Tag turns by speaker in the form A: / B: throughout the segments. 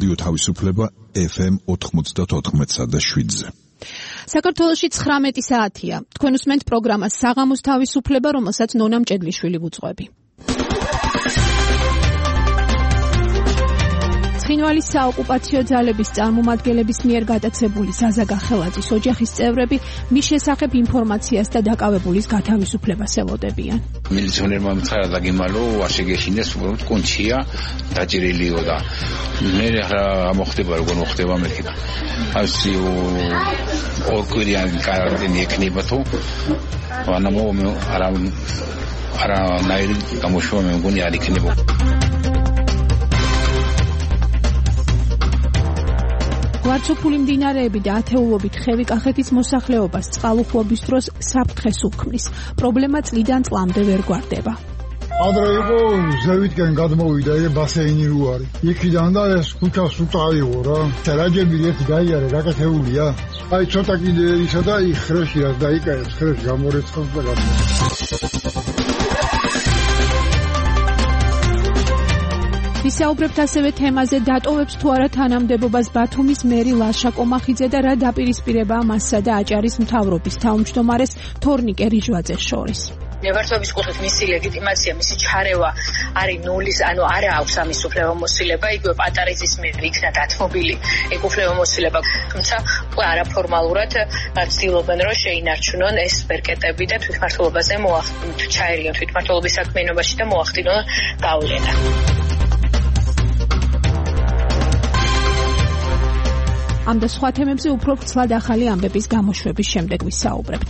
A: რადიო თავისუფლება FM 94.7-ზე.
B: საქართველოში 19 საათია. თქვენ უსმენთ პროგრამას საღამოს თავისუფლება, რომელსაც ნონა მჭედლიშვილი ვუძღვები. ცხინვალის საოკუპაციო ძალების წარმომადგენლების მიერ გადაცებული ზაზა გახელაძის ოჯახის წევრები მის შესახებ ინფორმაციას და დაკავებულის გათავისუფლებას ელოდებიან.
C: მილიციონერმა მცარა დაგიმალო, ვაშეგეშინეს უბრალოდ კონჩია დაჭრილიო და მე რა მოხდება, როგორ მოხდება მეკითხა. ასე ორკვირიანი კარანტინი ექნება თუ ანამო არა ნაირი გამოშვა მე მგონი არ იქნება.
B: გვარცოფული მდინარეები და ათეულობით ხევი კახეთის მოსახლეობას წყალუხვობის დროს საფრთხეს უქმნის. პრობლემა წლიდან წლამდე ვერ გვარდება.
D: ადრე იყო ზევიტკენ გადმოვიდა ეს ბასეინი რუარი. იქიდან და ეს ქუჩას უწავიო რა. რაჯები ერთი გაიარე გაკეთებულია. აი ცოტა კიდე ისა და იხრეში რა დაიკარებს, ხრეში გამორეცხავს და
B: ვისაუბრებთ ასევე თემაზე დატოვებს თუ არა თანამდებობას ბათუმის მერი ლაშა კომახიძე და რა დაპირისპირებაა მასსა და აჭარის მთავრობის თავმჯდომარეს თორნიკე რიჟვაძეს შორის.
E: მებრძოლების კუთხით მისი ლეგიტიმაცია, მისი ჩარევა არის ნულის, ანუ არა აქვს ამის უფლებამოსილება, იგივე პატარიძის მიერ იქნა დათმობილი ეგ უფლებამოსილება, თუმცა არაფორმალურად ცდილობენ რომ შეინარჩუნონ ეს ბერკეტები და თვითმმართველობაზე ჩაერიონ თვითმმართველობის საქმიანობაში და მოახდინონ გავლენა.
B: ამ და სხვა თემებზე უფრო ვრცლად ახალი ამბების გამოშვების შემდეგ ვისაუბრებთ.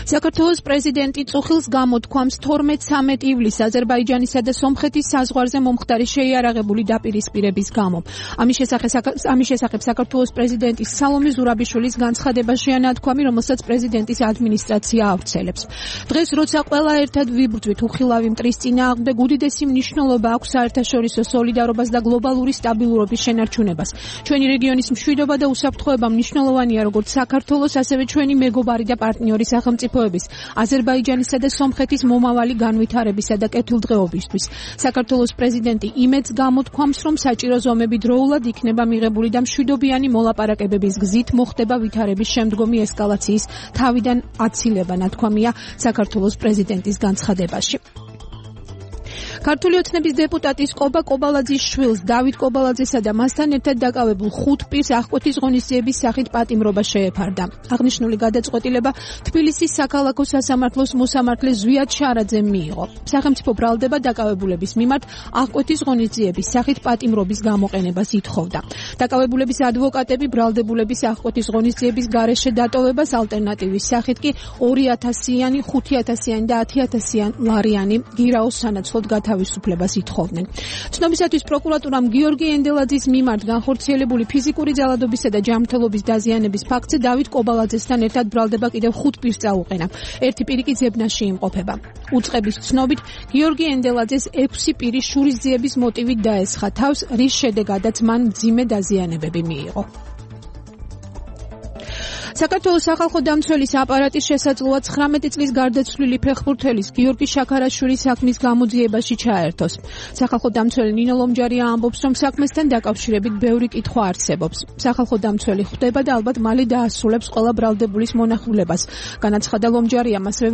B: საქართველოს პრეზიდენტი წუხილს გამოთქვამს 12-13 ივლისს აზერბაიჯანისა და სომხეთის საზღვარზე მომხდარი შეიარაღებული დაპირისპირების გამო. ამის შესახებ საქართველოს პრეზიდენტის სალომე ზურაბიშვილის განცხადებაშია ნათქვამი, რომელსაც პრეზიდენტის ადმინისტრაცია ავრცელებს. დღეს როცა ყველა ერთად ვიბრძვით უხილავი მტრის წინააღმდეგ, უდიდესი მნიშვნელობა აქვს საერთაშორისო სოლიდარობას და გლობალური სტაბილურობის შენარჩუნებას. ჩვენი რეგიონის მშვიდობა და უსაფრთხოება მნიშვნელოვანია როგორც საქართველოს, ასევე ჩვენი მეგობარი და პარტნიორი სახელმწიფო აზერბაიჯანისა და სომხეთის მომავალი განვითარებისა და კეთილდღეობისთვის. საქართველოს პრეზიდენტი იმედს გამოთქვამს, რომ საჭირო ზომები დროულად იქნება მიღებული და მშვიდობიანი მოლაპარაკებების გზით მოხდება ვითარების შემდგომი ესკალაციის თავიდან აცილება, ნათქვამია საქართველოს პრეზიდენტის განცხადებაში. ქართული ოცნების დეპუტატის კობა კობალაძის შვილს დავით კობალაძესა და მასთან ერთად დაკავებულ 5 პირს აღკვეთის ღონისძიების სახით პატიმრობა შეეფარდა. აღნიშნული გადაწყვეტილება თბილისის საქალაქო სასამართლოს მოსამართლე ზვიად შარაძემ მიიღო. სახელმწიფო ბრალდება დაკავებულების მიმართ აღკვეთის ღონისძიების სახით პატიმრობის გამოყენებას ითხოვდა. დაკავებულების ადვოკატები ბრალდებულების აღკვეთის ღონისძიების გარეშე დატოვებას ალტერნატივის სახით კი 2000-იანი, 5000-იანი და 10000-იანი ლარიანი გირაოს სანაცვლოდ თავისუფლებას ითხოვდნენ. ცნობისათვის პროკურატურამ გიორგი ენდელაძის მიმართ განხორციელებული ფიზიკური ძალადობისა და ჯანმრთელობის დაზიანების ფაქტზე დავით კობალაძესთან ერთად ბრალდება კიდევ 5 პირს წაუყენა. ერთი პირი კი ძებნაში იმყოფება. უწყების ცნობით გიორგი ენდელაძეს 6 პირი შურისძიების მოტივით დაესხა თავს, რის შედეგადაც მან მძიმე დაზიანებები მიიღო. საქართველოს სახალხო დამცველის აპარატის შესაძლოა 19 წლის გარდაცვლილი ფეხბურთელის გიორგი შაქარაშვილის საქმის გამოძიებაში ჩაერთოს. სახალხო დამცველი ნინო ლომჯარია ამბობს, რომ საქმესთან დაკავშირებით ბევრი კითხვა არსებობს. სახალხო დამცველი ხვდება და ალბათ მალე დაასრულებს ყველა ბრალდებულის მონახულებას. განაცხადა ლომჯარიამ, ასევე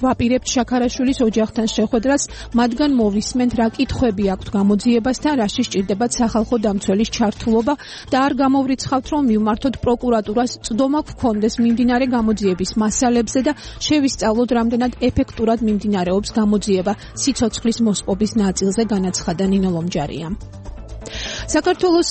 B: ვაპირებთ შაქარაშვილის ოჯახთან შეხვედრას, მათგან მოვისმენთ რა კითხვები აქვთ გამოძიებასთან, რაში სჭირდებათ სახალხო დამცველის ჩართულობა და არ გამოვრიცხავთ, რომ მივმართოთ პროკურატურას წვდომა გქონდეს მიმდინარე გამოძიების მასალებზე და შევისწავლოთ, რამდენად ეფექტურად მიმდინარეობს გამოძიება სიცოცხლის მოსპობის ნაწილზე, განაცხადა ნინო ლომჯარიამ. საქართველოს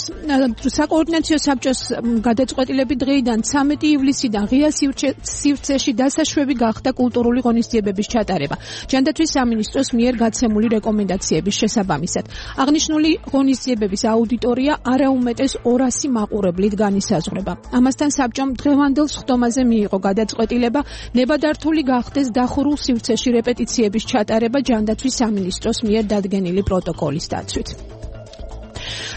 B: საკოორდინაციო საბჭოს გადაწყვეტილებით დღეიდან 13 ივლისიდან ღია სივრცეში დასაშვები გახდა კულტურული ღონისძიებების ჩატარება. ჯანდაცვის სამინისტროს მიერ გაცემული რეკომენდაციების შესაბამისად. აღნიშნული ღონისძიებების აუდიტორია არაუმეტეს 200 მაყურებლით განისაზღვრება. ამასთან საბჭომ დღევანდელ სხდომაზე მიიღო გადაწყვეტილება ნებადართული გახდეს დახურულ სივრცეში რეპეტიციების ჩატარება ჯანდაცვის სამინისტროს მიერ დადგენილი პროტოკოლის დაცვით.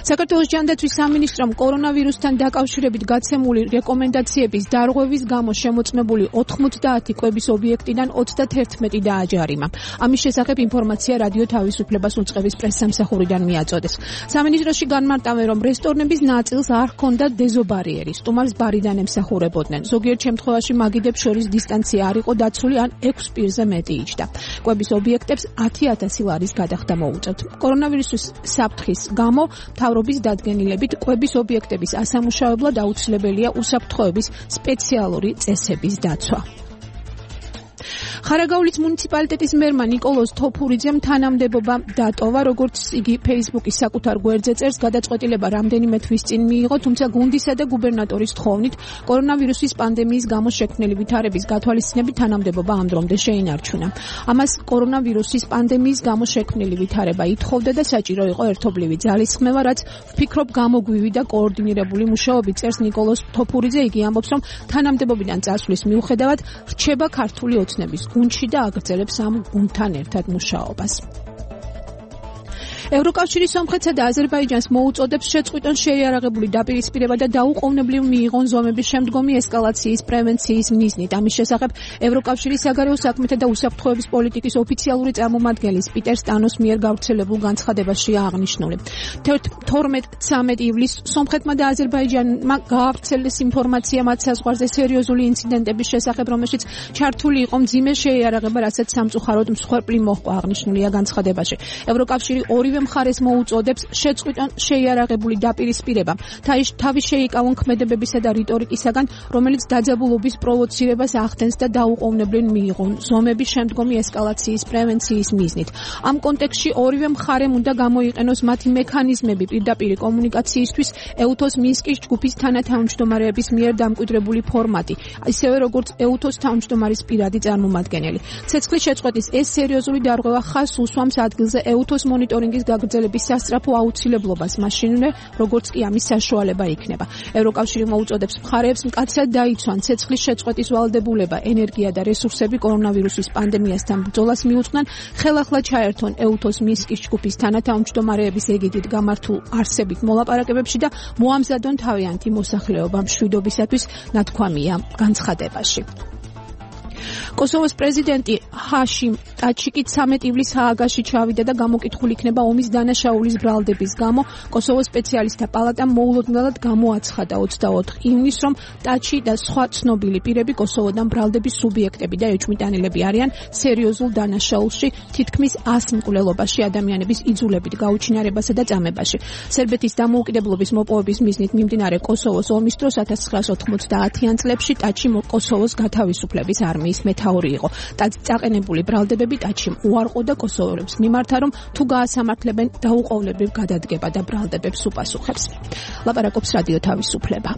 B: საქართველოს ჯანდაცვის სამინისტრომ კორონავირუსთან დაკავშირებით გაცემული რეკომენდაციების დარღვევის გამო შემოწმებული 90 კვების ობიექტიდან 31 დააჯარიმა. ამის შესახებ ინფორმაცია რადიო თავისუფლებას უწყების პრესსამსახურიდან მიაწოდეს. სამინისტროში განმარტავენ, რომ რესტორნების ნაწილს არ ჰქონდა დეზობარიერი, სტუმარს ბარიდან ემსახურებოდნენ. ზოგიერთ შემთხვევაში მაგიდებს შორის დისტანცია არ იყო დაცული ან 6 პირზე მეტი იჯდა. კვების ობიექტებს 10,000 ლარის გადახდა მოუწევთ. კორონავირუსის საფრთხის გამო მთავრობის დადგენილებით კვების ობიექტების ასამუშავებლად აუცილებელია უსაფრთხოების სპეციალური წესების დაცვა. ხარაგაულის მუნიციპალიტეტის მერმა ნიკოლოზ თოფურიძემ თანამდებობა დატოვა, როგორც იგი Facebook-ის საკუთარ გვერდზე წერს, გადაწყვეტილება რამდენიმე თვის წინ მიიღო, თუმცა გუნდისა და გუბერნატორის თხოვნით კორონავირუსის პანდემიის გამო შექმნილი ვითარების გათვალისწინებით თანამდებობა ამ დრომდე შეინარჩუნა. ამას კორონავირუსის პანდემიის გამო შექმნილი ვითარება ითხოვდა და საჭირო იყო ერთობლივი ძალისხმევა, რაც ვფიქრობ გამოგვივიდა და კოორდინირებული მუშაობით, წერს ნიკოლოზ თოფურიძე. იგი ამბობს, რომ თანამდებობიდან წასვლის მიუხედავად რჩება ქართული ოცნების გუნდში და აგრძელებს ამ გუნდთან ერთად მუშაობას. ევროკავშირის სომხეთსა და აზერბაიჯანს მოუწოდებს შეწყვიტონ შეიარაღებული დაპირისპირება და დაუყოვნებლივ მიიღონ ზომების შემდგომი ესკალაციის პრევენციის მიზნით. ამის შესახებ ევროკავშირის საგარეო საქმეთა და უსაფრთხოების პოლიტიკის ოფიციალური წარმომადგენლის პიტერ სტანოს მიერ გავრცელებულ განცხადებაში აღნიშნული. 12-13 ივლისს სომხეთმა და აზერბაიჯანმა გაავრცელეს ინფორმაცია მათ საზღვარზე სერიოზული ინციდენტების შესახებ, რომელშიც ჩართული იყო მძიმე შეიარაღება, რასაც სამწუხაროდ მსხვერპლი მოჰყვა, აღნიშნულია განცხადებაში. ევროკავშირი ორივე მხარეს მოუწოდებს შეწყვიტონ შეიარაღებული დაპირისპირება. თავის შეიკავონ ქმედებებისა და რიტორიკისაგან, რომელიც დაძაბულობის პროვოცირებას ახდენს და დაუყოვნებლივ მიიღონ ზომების შემდგომი ესკალაციის პრევენციის მიზნით. ამ კონტექსტში ორივე მხარემ უნდა გამოიყენოს მათი მექანიზმები პირდაპირ კომუნიკაციისთვის, ეუთოს მინსკის ჯგუფის თანათავმჯდომარეების მიერ დამკვიდრებული ფორმატი, ისევე როგორც ეუთოს თავმჯდომარის პირადი წარმომადგენელი. ცეცხლის შეწყვეტის ეს სერიოზული დარღვევა ხაზს უსვამს ადგილზე ეუთოს მონიტორინგის გაგრძელების სასწრაფო აუცილებლობას, მაშინვე როგორც კი ამის საშუალება იქნება. ევროკავშირი მოუწოდებს მხარეებს მკაცრად დაიცვან ცეცხლის შეწყვეტის ვალდებულება, ენერგია და რესურსები კორონავირუსის პანდემიასთან ბრძოლას მიუძღვნან, ხელახლა ჩაერთონ ეუთოს მინსკის ჯგუფის თანათავმჯდომარეების ეგიდით გამართულ არსებით მოლაპარაკებებში და მოამზადონ თავიანთი მოსახლეობა მშვიდობისათვის, ნათქვამია განცხადებაში. კოსოვოს პრეზიდენტი ჰაშიმ ტაჩიკი 13 ივლისს ჰააგაში ჩავიდა და გამოკითხული იქნება ომის დანაშაულის ბრალდების გამო. კოსოვოს სპეციალისტთა პალატამ მოულოდნელად გამოაცხადა 24 ივნისს, რომ ტაჩი და სხვა ცნობილი პირები კოსოვოდან ბრალდების სუბიექტები და ეჭვმიტანილები არიან სერიოზულ დანაშაულში, თითქმის 100 მკვლელობაში, ადამიანების იძულებით გაუჩინარებასა და წამებაში. სერბეთის დამოუკიდებლობის მოპოვების მიზნით მიმდინარე კოსოვოს ომის დროს 1990-იან წლებში ტაჩი კოსოვოს გათავისუფლების არმიის მეთაური იყო. წაყენებული ბრალდებები ტაჩიმ უარყო და კოსოვოელებს მიმართა, რომ თუ გაასამართლებენ დაუყოვნებლივ გადადგება და ბრალდებებს უპასუხებს. ლაპარაკობს რადიო თავისუფლება.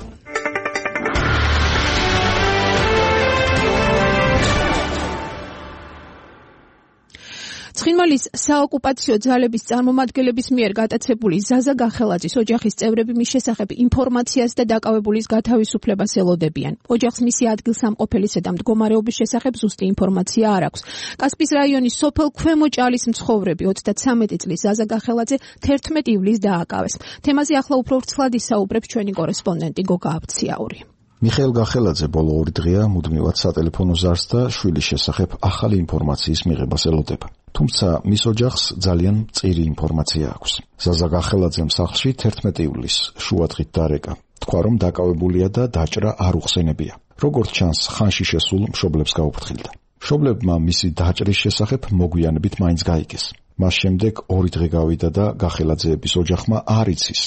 B: ცხინვალის საოკუპაციო ძალების წარმომადგენლების მიერ გატაცებული ზაზა გახელაძის ოჯახის წევრები მის შესახებ ინფორმაციას და დაკავებულის გათავისუფლებას ელოდებიან. ოჯახს მისი ადგილსამყოფელისა და მდგომარეობის შესახებ ზუსტი ინფორმაცია არ აქვს. კასპის რაიონის სოფელ ქვემო ჭალის მცხოვრები 33 წლის ზაზა გახელაძე 11 ივლისს დააკავეს. თემაზე ახლა უფრო ვრცლად ისაუბრებს ჩვენი კორესპონდენტი გოგა აბციაური.
F: მიხეილ გახელაძე ბოლო 2 დღეა მუდმივად სატელეფონო ზარს და შვილის შესახებ ახალი ინფორმაციის მიღებას ელოდება. თუმცა მის ოჯახს ძალიან მწირი ინფორმაცია აქვს. ზაზა გახელაძემ სახლში 11 ივლისს შუადღით დარეკა. თქვა, რომ დაკავებულია და დაჭრა არ უხსენებია. როგორც ჩანს, ხანში შესულ მშობლებს გაუფრთხილდა. მშობლებმა მისი დაჭრის შესახებ მოგვიანებით მაინც გაიგეს. მას შემდეგ 2 დღე გავიდა და გახელაძეების ოჯახმა არ იცის,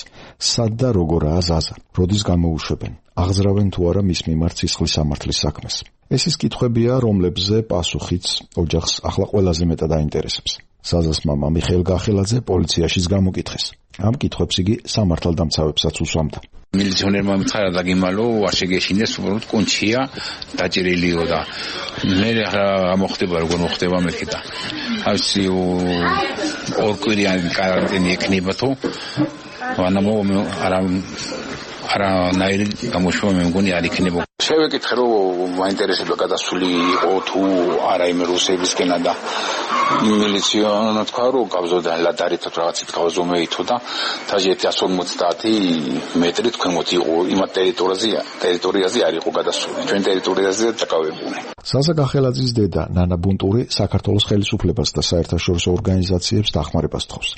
F: სად და როგორაა ზაზა, როდის გამოუშვებენ, აღძრავენ თუ არა მის მიმართ სისხლის სამართლის საქმეს. ეს ის კითხვებია, რომლებზე პასუხიც ოჯახს ახლა ყველაზე მეტად აინტერესებს. ზაზას მამა მიხეილ გახელაძე პოლიციაშიც გამოკითხეს. ამ კითხვებს იგი სამართალდამცავებსაც უსვამდა.
C: მილიციონერმა მითხრა დაგიმალო, არ შეგეშინდეს, უბრალოდ კონჩია დაჭრილიო და მე რა მოხდება, როგორ მოხდება მეთქი და ასე ორკვირიანი კარანტინი ექნება თუ არანაირი გამოშვება მე მგონი არ იქნება. შევეკითხე რომ მაინტერესებდა გადასული იყო თუ არა იმ რუსებისკენა და მილიციონა თქვა რომ გავზოდა ლადარით რაღაცით გავზომეითო და თაჟი 150 მეტრი თქვენმოთ იყო იმ ტერიტორიაზე არ იყო გადასული ჩვენ ტერიტორიაზე დაკავებული.
F: ზაზა გახელაძის დედა ნანა ბუნტური საქართველოს ხელისუფლებას და საერთაშორისო ორგანიზაციებს დახმარებას თხოვს,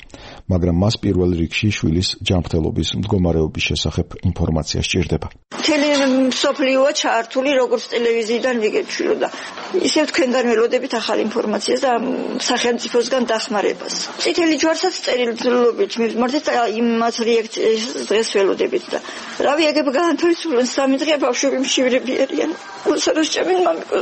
F: მაგრამ მას პირველ რიგში შვილის ჯანმრთელობის მდგომარეობის შესახებ ინფორმაცია სჭირდება.
G: მთელი მსოფლიოა ჩართული როგორც ტელევიზიიდან ვიგებშვილო და ისევ თქვენგან ველოდებით ახალ ინფორმაციას და სახელმწიფოსგან დახმარებას. წითელი ჯვარსაც წერილობით მივმართეთ და იმას რეაქციას დღეს ველოდებით და რავი ეგებ განთავისუფლენ 3 დღეა ბავშვები მშივრები არიან. უსაროს ჩემი მამიკო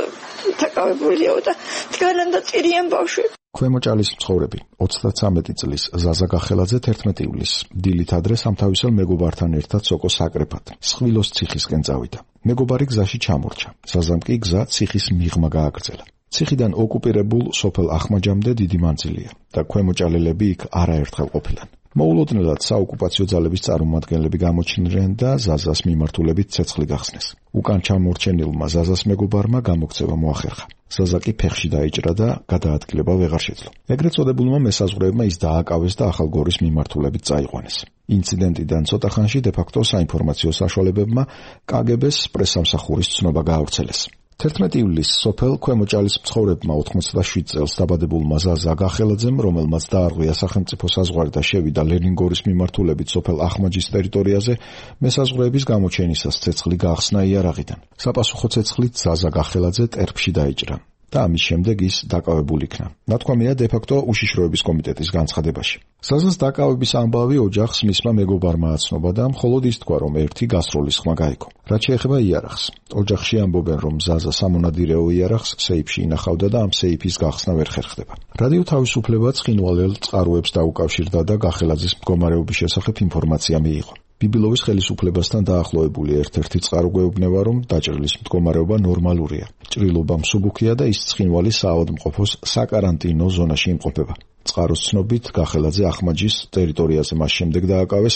G: დაკავებულია და დგანან და წირიან ბავშვები.
F: ქვემოჭალის მცხოვრები 33 წლის ზაზა გახელაძე 11 ივლისს დილით ადრე სამთავისელ მეგობართან ერთად სოკოს აკრეფად სხვილოს ციხისკენ წავიდა. მეგობარი გზაში ჩამორჩა. ზაზამ კი გზა ციხის მიღმა გააგრძელა. ციხიდან ოკუპირებულ სოფელ ახმაჯამდე დიდი მანძილია და ქვემოჭალელები იქ არაერთხელ ყოფილან. მოულოდნელად საოკუპაციო ძალების წარმომადგენლები გამოჩნდნენ და ზაზას მიმართულებით ცეცხლი გახსნეს. უკან ჩამორჩენილმა ზაზას მეგობარმა გამოქცევა მოახერხა. ზაზა კი ფეხში დაიჭრა და გადაადგილება ვეღარ შეძლო. ეგრეთ წოდებულმა მესაზღვრეებმა ის დააკავეს და ახალგორის მიმართულებით წაიყვანეს. ინციდენტიდან ცოტა ხანში დე-ფაქტო საინფორმაციო საშუალებებმა კგბ-ს პრესსამსახურის ცნობა გაავრცელეს. 11 ივლისს სოფელ ქვემოჭალის მცხოვრებმა 87 წელს დაბადებულმა ზაზა გახელაძემ, რომელმაც დაარღვია სახელმწიფო საზღვარი და შევიდა ლენინგორის მიმართულებით სოფელ ახმაჯის ტერიტორიაზე, მესაზღვრეების გამოჩენისას ცეცხლი გაახსნა იარაღიდან. საპასუხო ცეცხლით ზაზა გახელაძე ტერფში დაიჭრა და ამის შემდეგ ის დაკავებულ იქნა. ნათქვამია დე-ფაქტო უშიშროების კომიტეტის განცხადებაში. ზაზას დაკავების ამბავი ოჯახს მისმა მეგობარმა აცნობა და მხოლოდ ის თქვა, რომ ერთი გასროლის ხმა გაიგო. რაც შეეხება იარაღს, ოჯახში ამბობენ, რომ ზაზა სამონადირეო იარაღს სეიფში ინახავდა და ამ სეიფის გახსნა ვერ ხერხდება. რადიო თავისუფლება ცხინვალელ წყაროებს დაუკავშირდა და გახელაძის მდგომარეობის შესახებ ინფორმაცია მიიღო. ბიბილოვის ხელისუფლებასთან დაახლოებული ერთ-ერთი წყარო გვეუბნება, რომ დაჭრილის მდგომარეობა ნორმალურია. ჭრილობა მსუბუქია და ის ცხინვალის საავადმყოფოს საკარანტინო ზონაში იმყოფება. წყაროს ცნობით გახელაძე ახმაჯის ტერიტორიაზე მას შემდეგ დააკავეს,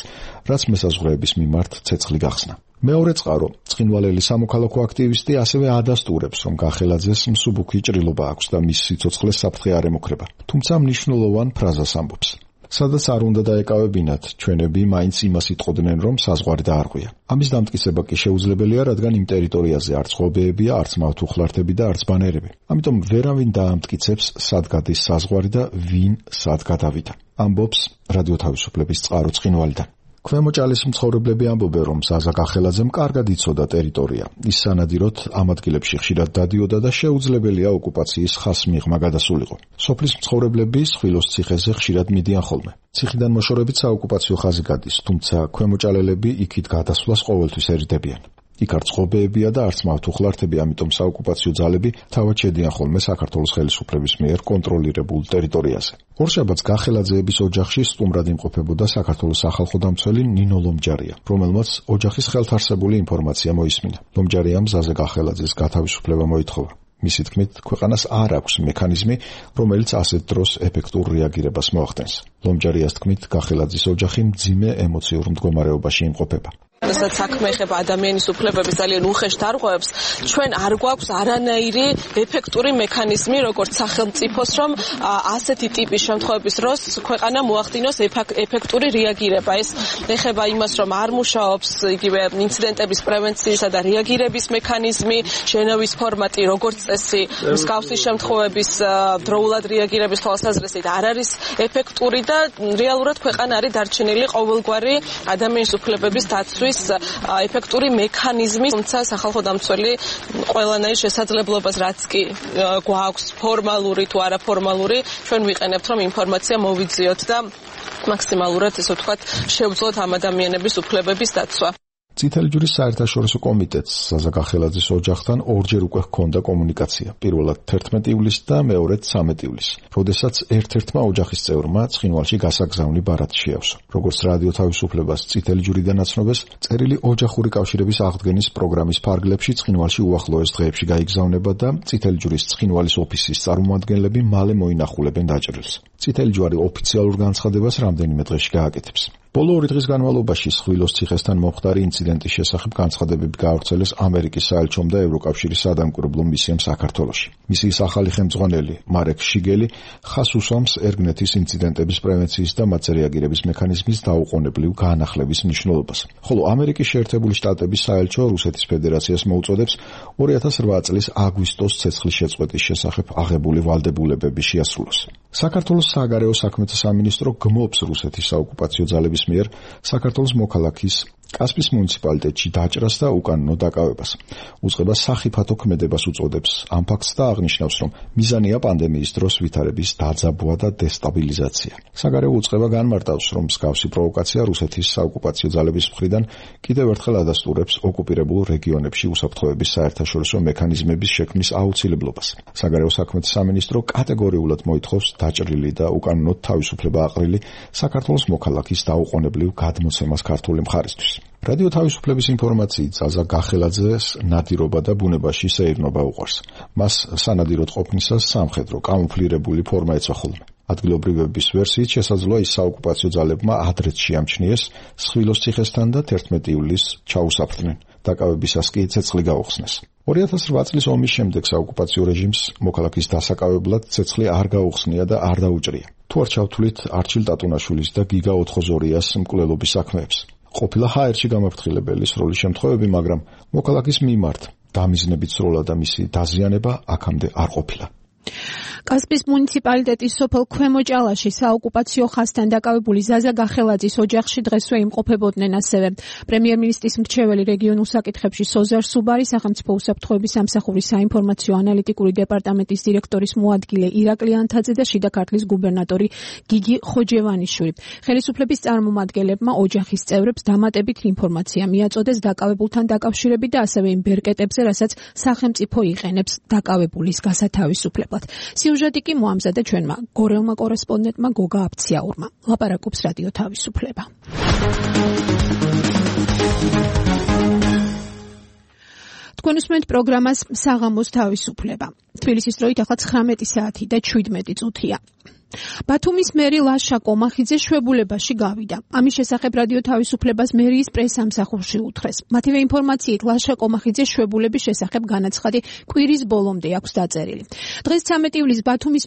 F: რაც მესაზღვრეების მიმართ ცეცხლი გახსნა. მეორე წყარო, ცხინვალელი სამოქალაქო აქტივისტი ასევე ადასტურებს, რომ გახელაძეს მსუბუქი ჭრილობა აქვს და მის სიცოცხლეს საფრთხე არ ემუქრება. თუმცა მნიშვნელოვან ფრაზას ამბობს. სადაც არ უნდა დაეკავებინათ, ჩვენები მაინც იმას იტყოდნენ, რომ საზღვარი დაარღვია. ამის დამტკიცება კი შეუძლებელია, რადგან იმ ტერიტორიაზე არც ღობეებია, არც მავთუხლართები და არც ბანერები. ამიტომ ვერავინ დაამტკიცებს, სად გადის საზღვარი და ვინ სად გადავიდა. ამბობს რადიო თავისუფლების წყარო ცხინვალიდან. ქვემოჭალის მცხოვრებლები ამბობენ, რომ ზაზა გახელაძემ კარგად იცოდა ტერიტორია. ის სანადიროდ ამ ადგილებში ხშირად დადიოდა და შეუძლებელია ოკუპაციის ხასმიღმა გადასულიყო. სოფლის მცხოვრებლები სხვილოს ციხეზე ხშირად მიდიან ხოლმე. ციხიდან მოშორებით საოკუპაციო ხაზი გადის, თუმცა ქვემოჭალელები იქით გადასვლას ყოველთვის ერიდებიან. იქ არც ღობეებია და არც მავთუხლართები, ამიტომ საოკუპაციო ძალები თავად შედიან ხოლმე საქართველოს ხელისუფლების მიერ კონტროლირებულ ტერიტორიაზე. ორშაბათს გახელაძეების ოჯახში სტუმრად იმყოფებოდა საქართველოს სახალხო დამცველი ნინო ლომჯარია, რომელმაც ოჯახის ხელთარსებული ინფორმაცია მოისმინა. ლომჯარიამ ზაზა გახელაძის გათავისუფლება მოითხოვა. მისი თქმით, ქვეყანას არ აქვს მექანიზმი, რომელიც ასეთ დროს ეფექტურ რეაგირებას მოახდენს. ლომჯარიას თქმით, გახელაძის ოჯახი მძიმე ემოციურ მდგომარეობაში იმყოფება.
H: რასაც საქმე ეხება ადამიანის უფლებების ძალიან უხეშ დარღვევებს, ჩვენ არ გვაქვს არანაირი ეფექტური მექანიზმი, როგორც სახელმწიფოს, რომ ასეთი ტიპის შემთხვევების დროს ქვეყანა მოახდინოს ეფექტური რეაგირება. ეს ეხება იმას, რომ არ მუშაობს იგივე ინციდენტების პრევენციისა და რეაგირების მექანიზმი, შენავის ფორმატი, როგორც წესი, მსგავსი შემთხვევების დროულად რეაგირების თვალსაზრისით არ არის ეფექტური და რეალურად ქვეყანა არის დარჩენილი ყოველგვარი ადამიანის უფლებების დაცვის ეფექტური მექანიზმი, თუმცა სახალხო დამცველი ყველანაირ შესაძლებლობას რაც კი გვაქვს ფორმალური თუ არაფორმალური, ჩვენ ვიყენებთ, რომ ინფორმაცია მოვიძიოთ და მაქსიმალურად, ესე ვთქვათ, შევძლოთ ამ ადამიანების უფლებების დაცვა.
F: წითელი ჯვრის საერთაშორისო კომიტეტს ზაზა გახელაძის ოჯახთან ორჯერ უკვე ჰქონდა კომუნიკაცია. პირველად 11 ივლისს და მეორედ 13 ივლისს, როდესაც ერთ-ერთმა ოჯახის წევრმა ცხინვალში გასაგზავნი ბარათი შეავსო. როგორც რადიო თავისუფლებას წითელი ჯვრიდან აცნობს, წერილი ოჯახური კავშირების აღდგენის პროგრამის ფარგლებში ცხინვალში უახლოეს დღეებში გაიგზავნება და წითელი ჯვრის ცხინვალის ოფისის წარმომადგენლები მალე მოინახულებენ დაჭრილს. წითელი ჯვარი ოფიციალურ განცხადებას რამდენიმე დღეში გააკეთებს. ბოლო 2 დღის განმავლობაში სხვილოს ციხესთან მომხდარი ინციდენტის შესახებ განცხადებები გაავრცელეს ამერიკის საელჩომ და ევროკავშირის სადამკვირვებლო მისიამ საქართველოში. მისიის ახალი ხელმძღვანელი მარეკ შიგელი ხაზს უსვამს ერგნეთის ინციდენტების პრევენციის და მათზე რეაგირების მექანიზმის დაუყოვნებლივ გაანახლების მნიშვნელობას. ხოლო ამერიკის შეერთებული შტატების საელჩო რუსეთის ფედერაციას მოუწოდებს 2008 წლის აგვისტოს ცეცხლის შეწყვეტის შესახებ აღებული ვალდებულებები შეასრულოს. საქართველოს საგარეო საქმეთა სამინისტრო გმობს რუსეთის საოკუპაციო ძალების მიერ საქართველოს მოქალაქის კასპის მუნიციპალიტეტში დაჭრას და უკანონო დაკავებას. უწყება სახიფათო ქმედებას უწოდებს ამ ფაქტს და აღნიშნავს, რომ მიზანია პანდემიის დროს ვითარების დაძაბვა და დესტაბილიზაცია. საგარეო უწყება განმარტავს, რომ მსგავსი პროვოკაცია რუსეთის საოკუპაციო ძალების მხრიდან კიდევ ერთხელ ადასტურებს ოკუპირებულ რეგიონებში უსაფრთხოების საერთაშორისო მექანიზმების შექმნის აუცილებლობას. საგარეო საქმეთა სამინისტრო კატეგორიულად მოითხოვს დაჭრილი და უკანონოდ თავისუფლება აყრილი საქართველოს მოქალაქის დაუყოვნებლივ გადმოცემას ქართული მხარისთვის. რადიო თავისუფლების ინფორმაციით ზაზა გახელაძეს ნადირობა და ბუნებაში სეირნობა უყვარს. მას სანადიროდ ყოფნისას სამხედრო კამუფლირებული ფორმა ეცვა ხოლმე. ადგილობრივების ვერსიით შესაძლოა ის საოკუპაციო ძალებმა ადრეც შეამჩნიეს სხვილოს ციხესთან და 11 ივლისს ჩაუსაფრდნენ. დაკავებისას კი ცეცხლი გაუხსნეს. 2008 წლის ომის შემდეგ საოკუპაციო რეჟიმს მოქალაქის დასაკავებლად ცეცხლი არ გაუხსნია და არ დაუჭრია. თუ არ ჩავთვლით არჩილ ტატუნაშვილის და გიგა ოთხოზორიას მკვლელობის საქმეებს. ყოფილა ჰაერში გამაფრთხილებელი სროლის შემთხვევები, მაგრამ მოქალაქის მიმართ დამიზნებით სროლა და მისი დაზიანება აქამდე არ ყოფილა.
B: კასპის მუნიციპალიტეტის სოფელ ქვემო ჭალაში საოკუპაციო ხაზთან დაკავებული ზაზა გახელაძის ოჯახში დღესვე იმყოფებოდნენ ასევე პრემიერ-მინისტრის მრჩეველი რეგიონულ საკითხებში სოზარ სუბარი, სახელმწიფო უსაფრთხოების სამსახურის საინფორმაციო ანალიტიკური დეპარტამენტის დირექტორის მოადგილე ირაკლი ანთაძე და შიდა ქართლის გუბერნატორი გიგი ხოჯევანიშვილი. ხელისუფლების წარმომადგენლებმა ოჯახის წევრებს დამატებით ინფორმაცია მიაწოდეს დაკავებულთან დაკავშირებით და ასევე იმ ბერკეტებზე, რასაც სახელმწიფო იყენებს დაკავებულის გასათავისუფლებლად. სიუჟეტი კი მოამზადა ჩვენმა გორელმა კორესპონდენტმა გოგა აფციაურმა. ლაპარაკობს რადიო თავისუფლება. თქვენ უსმენთ პროგრამას საღამოს თავისუფლება. თბილისის დროით ახლა 19 საათი და 17 წუთია. ბათუმის მერი ლაშა კომახიძე შვებულებაში გავიდა. ამის შესახებ რადიო თავისუფლებას მერიის პრესამსახურში უთხრეს. მათივე ინფორმაციით ლაშა კომახიძე შვებულების შესახებ განაცხადი კვირის ბოლომდე აქვს დაწერილი. დღეს 13 ივლისს ბათუმის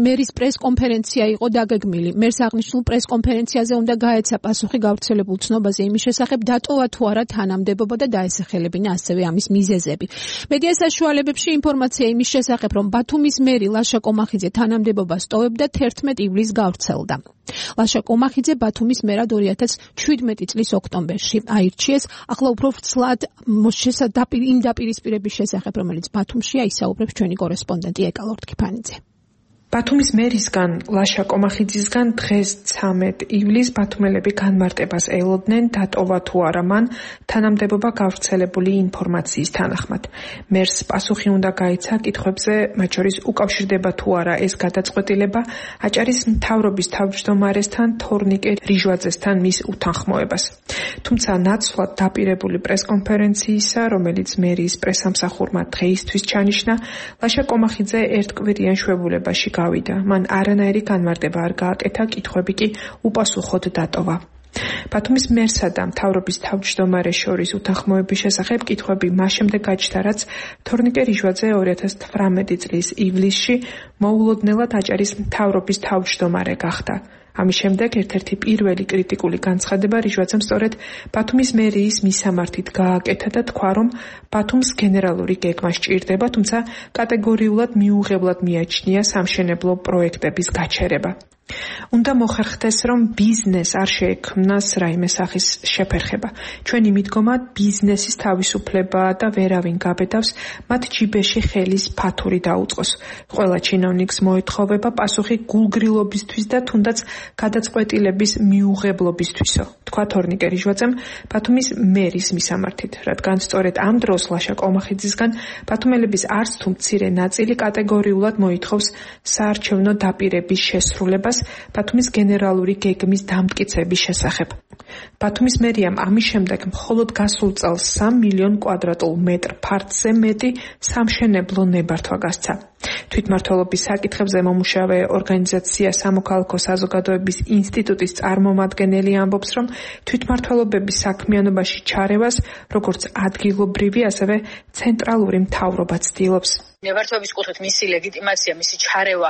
B: მერის პრესკონფერენცია იყო დაგეგმილი. მერს აღნიშნულ პრესკონფერენციაზე უნდა გაეცა პასუხი გავრცელებულ ცნობაზე იმის შესახებ დატოვა თუ არა თანამდებობა და დაესახელებინა ასევე ამის მიზეზები. მედია საშუალებებში ინფორმაცია იმის შესახებ, რომ ბათუმის მერი ლაშა კომახიძე თანამდებობას ტოვებდა 11 ივლისს გავრცელდა. ლაშა კომახიძე ბათუმის მერად 2017 წლის ოქტომბერში აირჩიეს. ახლა უფრო ვრცლად იმ დაპირისპირების შესახებ, რომელიც ბათუმშია, ისაუბრებს ჩვენი კორესპონდენტი ეკა ლორთქიფანიძე.
I: ბათუმის მერისგან ლაშა კომახიძისგან დღეს 13 ივლისს ბათუმელები განმარტებას ელოდნენ დატოვა თუ არა მან თანამდებობა გავრცელებული ინფორმაციის თანახმად. მერს პასუხი უნდა გაეცა კითხვებზე, მათ შორის უკავშირდება თუ არა ეს გადაწყვეტილება აჭარის მთავრობის თავმჯდომარესთან თორნიკე რიჟვაძესთან მის უთანხმოებას. თუმცა ნაცვლად დაპირებული პრესკონფერენციისა, რომელიც მერიის პრესამსახურმა დღეისთვის ჩანიშნა, ლაშა კომახიძე ერთკვირიან შვებულებაში გავიდა. მან არანაირი განმარტება არ გააკეთა, კითხვები კი უპასუხოდ დატოვა. ბათუმის მერსა და მთავრობის თავმჯდომარეს შორის უთანხმოების შესახებ კითხვები მას შემდეგ გაჩნდა, რაც თორნიკე რიჟვაძე 2018 წლის ივლისში მოულოდნელად აჭარის მთავრობის თავმჯდომარე გახდა. ამის შემდეგ ერთ-ერთი პირველი კრიტიკული განცხადება რიჟვაძემ სწორედ ბათუმის მერიის მისამართით გააკეთა და თქვა, რომ ბათუმს გენერალური გეგმა სჭირდება, თუმცა კატეგორიულად მიუღებლად მიაჩნია სამშენებლო პროექტების გაჩერება. უნდა მოხერხდეს, რომ ბიზნეს არ შეექმნას რაიმე სახის შეფერხება. ჩვენი მიდგომა ბიზნესის თავისუფლება და ვერავინ გაბედავს მათ ჯიბეში ხელის ფათური დაუწყოს. ყველა ჩინოვნიკს მოეთხოვება პასუხი გულგრილობისთვის და თუნდაც გადაწყვეტილების მიუღებლობისთვისო, თქვა თორნიკე რიჟვაძემ ბათუმის მერის მისამართით, რადგან სწორედ ამ დროს ლაშა კომახიძისგან ბათუმელების არც თუ მცირე ნაწილი კატეგორიულად მოითხოვს საარჩევნო დაპირების შესრულებას ბათუმის გენერალური გეგმის დამტკიცების შესახებ. ბათუმის მერიამ ამის შემდეგ მხოლოდ გასულ წელს 3 მილიონ კვადრატულ მეტრ ფართზე მეტი სამშენებლო ნებართვა გასცა. თვითმმართველობის საკითხებზე მომუშავე ორგანიზაცია სამოქალაქო საზოგადოების ინსტიტუტის წარმომადგენელი ამბობს, რომ თვითმმართველობების საქმიანობაში ჩარევას როგორც ადგილობრივი, ასევე ცენტრალური მთავრობა ცდილობს.
E: ნებართვების კუთხით მისი ლეგიტიმაცია, მისი ჩარევა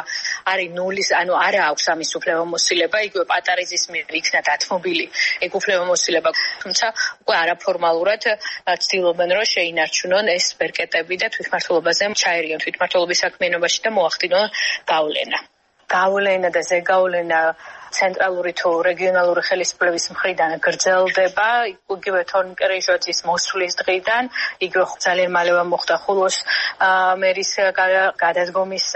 E: არის ნულის, ანუ არა აქვს ამის უფლებამოსილება, იგივე პატარიძის მიერ იქნა დათმობილი ეგ უფლებამოსილება, თუმცა უკვე არაფორმალურად ცდილობენ, რომ შეინარჩუნონ ეს ბერკეტები და თვითმმართველობაზე ჩაერიონ თვითმმართველობის საქმიანობაში და მოახდინონ გავლენა და ზეგავლენა ცენტრალური თუ რეგიონალური ხელისუფლების მხრიდან გრძელდება, იგივე თორნიკე რიჟვაძის მოსვლის დღიდან, იგივე ძალიან მალევე მოხდა ხულოს მერის გადადგომის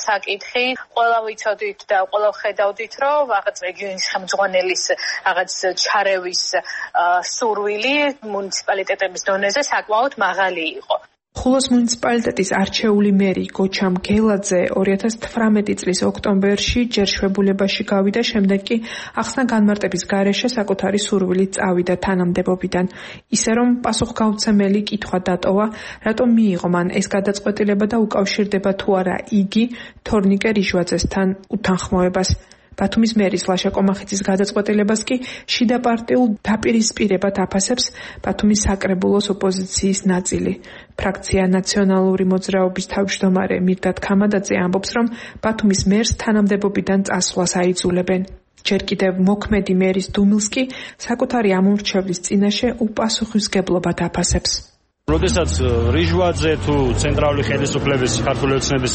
E: საკითხი. ყველა ვიცოდით და ყველა ხედავდით, რომ რაღაც რეგიონის ხელმძღვანელის რაღაც ჩარევის სურვილი მუნიციპალიტეტების დონეზე საკმაოდ მაღალი იყო.
I: ხულოს მუნიციპალიტეტის არჩეული მერი გოჩამ გელაძე 2018 წლის ოქტომბერში ჯერ შვებულებაში გავიდა, შემდეგ კი ახსნა განმარტების გარეშე საკუთარი სურვილით წავიდა თანამდებობიდან. ისე რომ პასუხგავცემელი კითხვა დატოვა, რატომ მიიღო მან ეს გადაწყვეტილება და უკავშირდება თუ არა იგი თორნიკე რიჟვაძესთან უთანხმოებას. ბათუმის მერის ლაშა კომახიძის გადაწყვეტილებას კი შიდა პარტიულ დაპირისპირებად აფასებს ბათუმის საკრებულოს ოპოზიციის ნაწილი. ფრაქცია ნაციონალური მოძრაობის თავმჯდომარე მირდად ქამადაძე ამბობს, რომ ბათუმის მერს თანამდებობიდან წასვლას აიძულებენ. ჯერ კიდევ მოქმედი მერის დუმილს კი საკუთარი ამომრჩევლის წინაშე უპასუხისმგებლობად აფასებს.
J: როდესაც რიჟვაძე თუ ცენტრალური ხელისუფლების ქართული ოცნების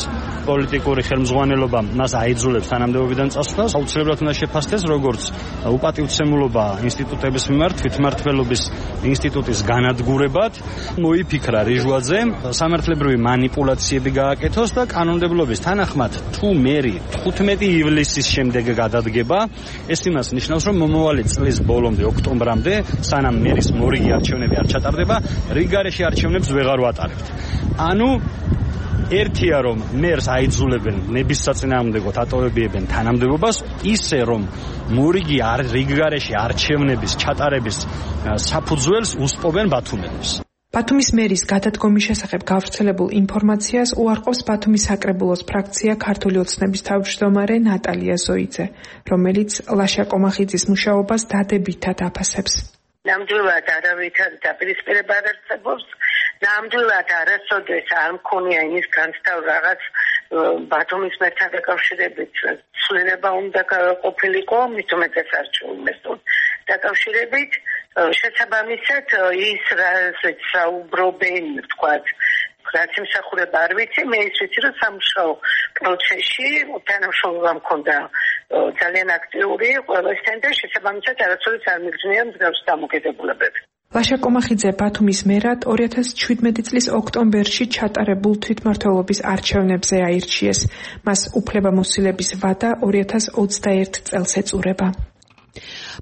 J: პოლიტიკური ხელმძღვანელობა მას აიძულებს თანამდებობიდან წასვლას, აუცილებლად უნდა შეფასდეს როგორც უპატივცემულობა ინსტიტუტების მიმართ, თვითმმართველობის ინსტიტუტის განადგურებად. მოიფიქრა რიჟვაძემ სამართლებრივი მანიპულაციები გააკეთოს და კანონმდებლობის თანახმად თუ მერი 15 ივლისის შემდეგ გადადგება, ეს იმას ნიშნავს, რომ მომავალი წლის ბოლომდე, ოქტომბრამდე, სანამ მერის მორიგი არჩევნები არ ჩატარდება, რიგგარეშე არჩევნებს ვეღარ ვატარებთ. ანუ ერთია რომ მერს აიძულებენ ნების საწინააღმდეგოდ ატოვებიებენ თანამდებობას, ისე რომ მორიგი რიგგარეშე არჩევნების ჩატარების საფუძველს უსპობენ ბათუმელებს.
I: ბათუმის მერის გადადგომის შესახებ გავრცელებულ ინფორმაციას უარყოფს ბათუმის საკრებულოს ფრაქცია ქართული ოცნების თავმჯდომარე ნატალია ზოიძე, რომელიც ლაშა კომახიძის მუშაობას დადებითად აფასებს.
K: ნამდვილად არავითარ დაპირისპირება არ არსებობს, ნამდვილად არასოდეს არ მქონია იმის განცდა რაღაც ბათუმის მერთან დაკავშირებით ცვლილება უნდა ყოფილიყო, მით უმეტეს არჩევნებთან დაკავშირებით. შესაბამისად ის რასაც საუბრობენ, ვთქვათ, რაც იმსახურება არ ვიცი, მე ის ვიცი, რომ სამუშაო პროცესში თანამშრომლობა მქონდა ძალიან აქტიური ყველასთან და შესაბამისად არასოდეს არ მიგრძნია მსგავსი დამოკიდებულებები.
I: ლაშა კომახიძე ბათუმის მერად 2017 წლის ოქტომბერში ჩატარებულ თვითმმართველობის არჩევნებზე აირჩიეს. მას უფლებამოსილების ვადა 2021 წელს ეწურება.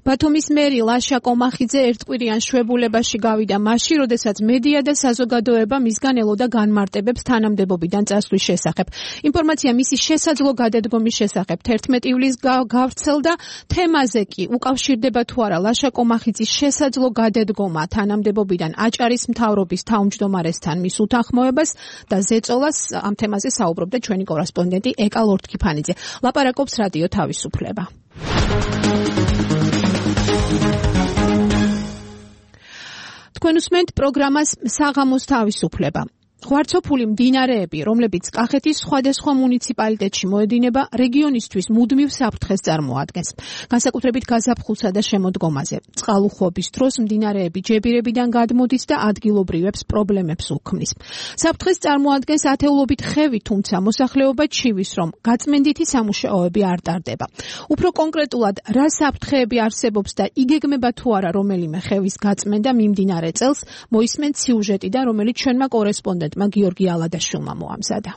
B: ბათუმის მერი ლაშა კომახიძე ერთკვირიან შვებულებაში გავიდა მაშინ, როდესაც მედია და საზოგადოება მისგან ელოდა განმარტებებს თანამდებობიდან წასვლის შესახებ. ინფორმაცია მისი შესაძლო გადადგომის შესახებ 11 ივლისს გავრცელდა. თემაზე კი უკავშირდება თუ არა ლაშა კომახიძის შესაძლო გადადგომა თანამდებობიდან აჭარის მთავრობის თავმჯდომარესთან მის უთანხმოებას და ზეწოლას ამ თემაზე საუბრობდა ჩვენი კორესპონდენტი ეკა ლორთქიფანიძე. ლაპარაკობს რადიო თავისუფლება. თქვენ უსმენთ პროგრამას საღამოს თავისუფლება. ღვარცოფული მდინარეები, რომლებიც კახეთის სხვადასხვა მუნიციპალიტეტში მოედინება, რეგიონისთვის მუდმივ საფრთხეს წარმოადგენს. განსაკუთრებით გაზაფხულსა და შემოდგომაზე. წყალუხვობის დროს მდინარეები ჯებირებიდან გადმოდის და ადგილობრივებს პრობლემებს უქმნის. საფრთხეს წარმოადგენს ათეულობით ხევი, თუმცა მოსახლეობა ჩივის, რომ გაწმენდითი სამუშაოები არ ტარდება. უფრო კონკრეტულად, რა საფრთხეები არსებობს და იგეგმება თუ არა რომელიმე ხევის გაწმენდა მიმდინარე წელს, მოისმენთ სიუჟეტიდან, რომელიც ჩვენმა კორესპონდენტმა გიორგი ალადაშვილმა მოამზადა.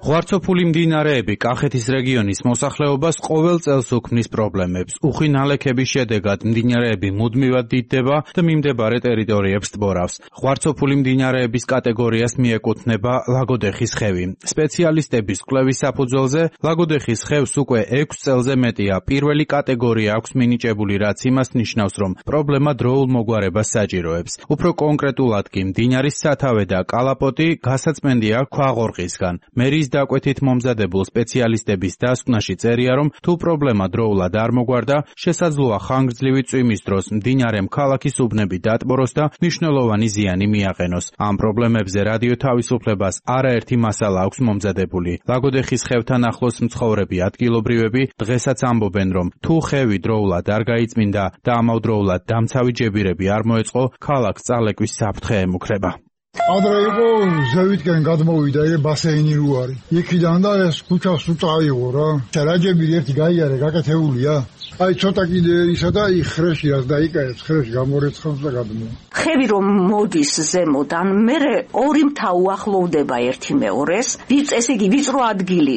L: ღვარცოფული მდინარეები კახეთის რეგიონის მოსახლეობას ყოველ წელს უქმნის პრობლემებს. უხვი ნალექების შედეგად მდინარეები მუდმივად დიდდება და მიმდებარე ტერიტორიებს ტბორავს. ღვარცოფული მდინარეების კატეგორიას მიეკუთვნება ლაგოდეხის ხევი. სპეციალისტების კვლევის საფუძველზე ლაგოდეხის ხევს უკვე 6 წელზე მეტია პირველი კატეგორია აქვს მინიჭებული, რაც იმას ნიშნავს, რომ პრობლემა დროულ მოგვარებას საჭიროებს. უფრო კონკრეტულად კი მდინარის სათავე და კალაპოტი გასაწმენდია ქვაღორღისგან. მერის დაკვეთით მომზადებულ სპეციალისტების დასკვნაში წერია, რომ თუ პრობლემა დროულად არ მოგვარდა, შესაძლოა ხანგრძლივი წვიმის დროს მდინარემ ქალაქის უბნები დატბოროს და მნიშვნელოვანი ზიანი მიაყენოს. ამ პრობლემებზე რადიო თავისუფლებას არაერთი მასალა აქვს მომზადებული. ლაგოდეხის ხევთან ახლოს მცხოვრები ადგილობრივები დღესაც ამბობენ, რომ თუ ხევი დროულად არ გაიწმინდა და ამავდროულად დამცავი ჯებირები არ მოეწყო, ქალაქს წალეკვის საფრთხე ემუქრება.
D: ადრე იყო ზევითკენ გადმოვიდა ბასეინი რუარი. იქიდან და ეს ქუჩას უწავიღო რა. რაჯები ერთი გაიარე, გაკეთებულია. აი ცოტა კიდე ისა და იხრეში რაც დაიკაებს, ხრეში გამორეცხავს და გადმოვა.
M: ხევი რომ მოდის ზემოდან, მერე ორი მთა უახლოვდება ერთი მეორეს, ესე იგი ვიწრო ადგილი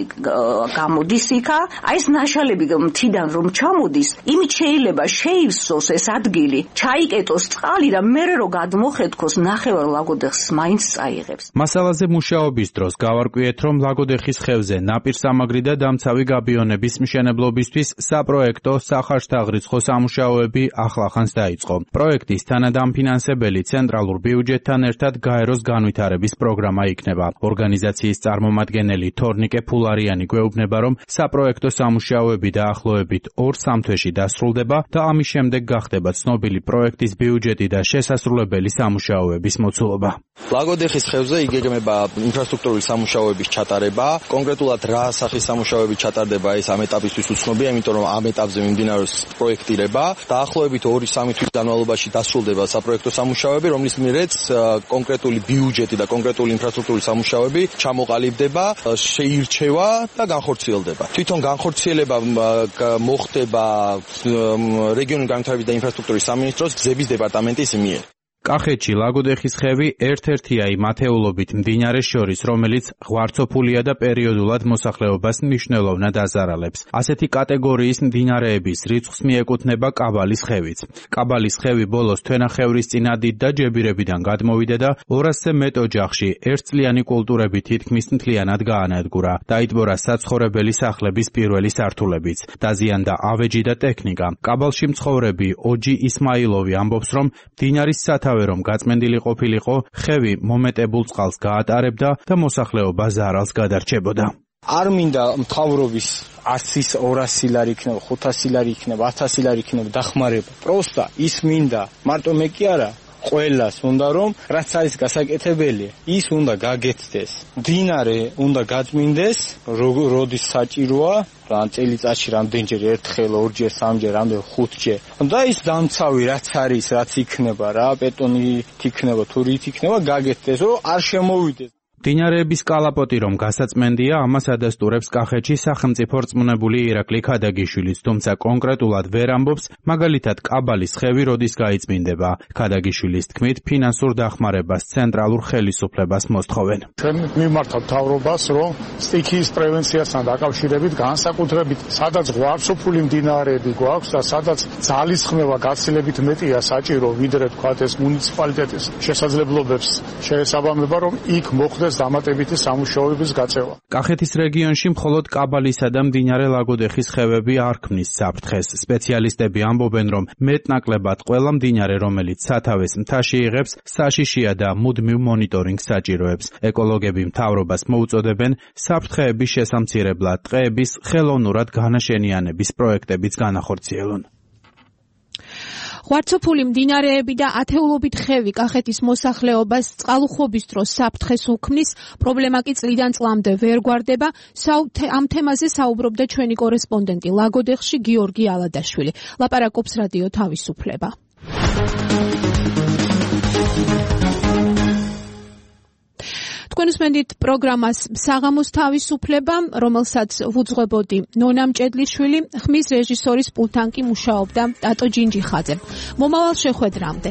M: გამოდის იქა, აი ეს ნაშალები მთიდან რომ ჩამოდის, იმით შეიძლება შეივსოს ეს ადგილი, ჩაიკეტოს წყალი და მერე რომ გადმოხეთქოს ნახევარ ლაგოდეხს მაინც წაიღებს.
L: მასალაზე მუშაობის დროს გავარკვიეთ, რომ ლაგოდეხის ხევზე ნაპირსამაგრი და დამცავი გაბიონების მშენებლობისთვის საპროექტო სახარშთაღრიცხო სამუშაოები ახლახანს დაიწყო. პროექტის თანადამფინანსებელი ცენტრალურ ბიუჯეტთან ერთად გაეროს განვითარების პროგრამა იქნება. ორგანიზაციის წარმომადგენელი თორნიკე ფულარიანი გვეუბნება, რომ საპროექტო სამუშაოები დაახლოებით 2-3 თვეში დასრულდება და ამის შემდეგ გახდება ცნობილი პროექტის ბიუჯეტი და შესასრულებელი სამუშაოების მოცულობა.
N: ლაგოდეხის ხევზე იგეგმება ინფრასტრუქტურული სამუშაოების ჩატარება. კონკრეტულად რა სახის სამუშაოები ჩატარდება, ეს ამ ეტაპისთვის უცნობია, იმიტომ რომ ამ ეტაპზე მიმდინარეობს პროექტირება. დაახლოებით 2-3 თვის განმავლობაში დასრულდება საპროექტო სამუშაოები, რომლის მიერეც კონკრეტული ბიუჯეტი და კონკრეტული ინფრასტრუქტურული სამუშაოები ჩამოყალიბდება, შეირჩევა და განხორციელდება. თვითონ განხორციელება მოხდება რეგიონული განვითარების და ინფრასტრუქტურის სამინისტროს გზების დეპარტამენტის მიერ.
L: კახეთში ლაგოდეხის ხევი ერთ-ერთია იმ ათეულობით მდინარეს შორის, რომელიც ღვარცოფულია და პერიოდულად მოსახლეობას მნიშვნელოვნად აზარალებს. ასეთი კატეგორიის მდინარეების რიცხვს მიეკუთვნება კაბალის ხევიც. კაბალის ხევი ბოლოს თვენახევრისწინა დიდ და ჯებირებიდან გადმოვიდა და 200-ზე მეტ ოჯახში ერთწლიანი კულტურები თითქმის მთლიანად გაანადგურა. დაიტბორა საცხოვრებელი სახლების პირველი სართულებიც. დაზიანდა ავეჯი და ტექნიკა. კაბალში მცხოვრები ოჯი ისმაილოვი ამბობს, რომ მდინარის რომ გაწმენდილი ყოფილიყო, ხევი მომეტებულ წყალს გაატარებდა და მოსახლეობა ზარალს გადარჩებოდა.
O: არ მინდა მთავრობის 100, 200 ლარი იქნება, 500 ლარი იქნება, 1000 ლარი იქნება დახმარება. პროსტა ის მინდა, მარტო მე კი არა, ყველას უნდა რომ რაც არის გასაკეთებელი, ის უნდა გაგეთდეს. მდინარე უნდა გაწმინდეს, როდის საჭიროა, ან წელიწადში რამდენჯერ, ერთხელ, ორჯერ, სამჯერ, რამდენ 5ჯერ. და ის დამცავი რაც არის, რაც იქნება რა, ბეტონით იქნება, თუ რით იქნება, გაგეთდეს, რომ არ შემოვიდეს.
L: მდინარეების კალაპოტი რომ გასაწმენდია, ამას ადასტურებს კახეთში სახელმწიფო რწმუნებული ირაკლი ქადაგიშვილიც, თუმცა კონკრეტულად ვერ ამბობს, მაგალითად კაბალის ხევი როდის გაიწმინდება. ქადაგიშვილის თქმით, ფინანსურ დახმარებას ცენტრალურ ხელისუფლებას მოსთხოვენ.
P: ჩვენ მიმართავთ მთავრობას, რომ სტიქიის პრევენციასთან დაკავშირებით განსაკუთრებით, სადაც ღვარცოფული მდინარეები გვაქვს და სადაც ძალის ხმევა გაცილებით მეტია საჭირო, ვიდრე თქვათ ეს მუნიციპალიტეტის შესაძლებლობებს შეესაბამება, რომ იქ მოხდეს დამატებითი სამუშაოების გაწევა.
L: კახეთის რეგიონში მხოლოდ კაბალისა და მდინარე ლაგოდეხის ხევები არ ქმნის საფრთხეს. სპეციალისტები ამბობენ, რომ მეტნაკლებად ყველა მდინარე, რომელიც სათავეს მთაში იღებს, საშიშია და მუდმივ მონიტორინგს საჭიროებს. ეკოლოგები მთავრობას მოუწოდებენ საფრთხეების შესამცირებლად ტყეების ხელოვნურად განაშენიანების პროექტებიც განახორციელონ.
B: ღვარცოფული მდინარეები და ათეულობით ხევი კახეთის მოსახლეობას წყალუხვობის დროს საფრთხეს უქმნის, პრობლემა კი წლიდან წლამდე ვერ გვარდება. ამ თემაზე საუბრობდა ჩვენი კორესპონდენტი ლაგოდეხში გიორგი ალადაშვილი. ლაპარაკობს რადიო თავისუფლება. თქვენ უსმენთ პროგრამას საღამოს თავისუფლება, რომელსაც ვუძღვებოდი ნონა მჭედლიშვილი, ხმის რეჟისორის პულტან კი მუშაობდა ტატო ჯინჯიხაძე. მომავალ შეხვედრამდე.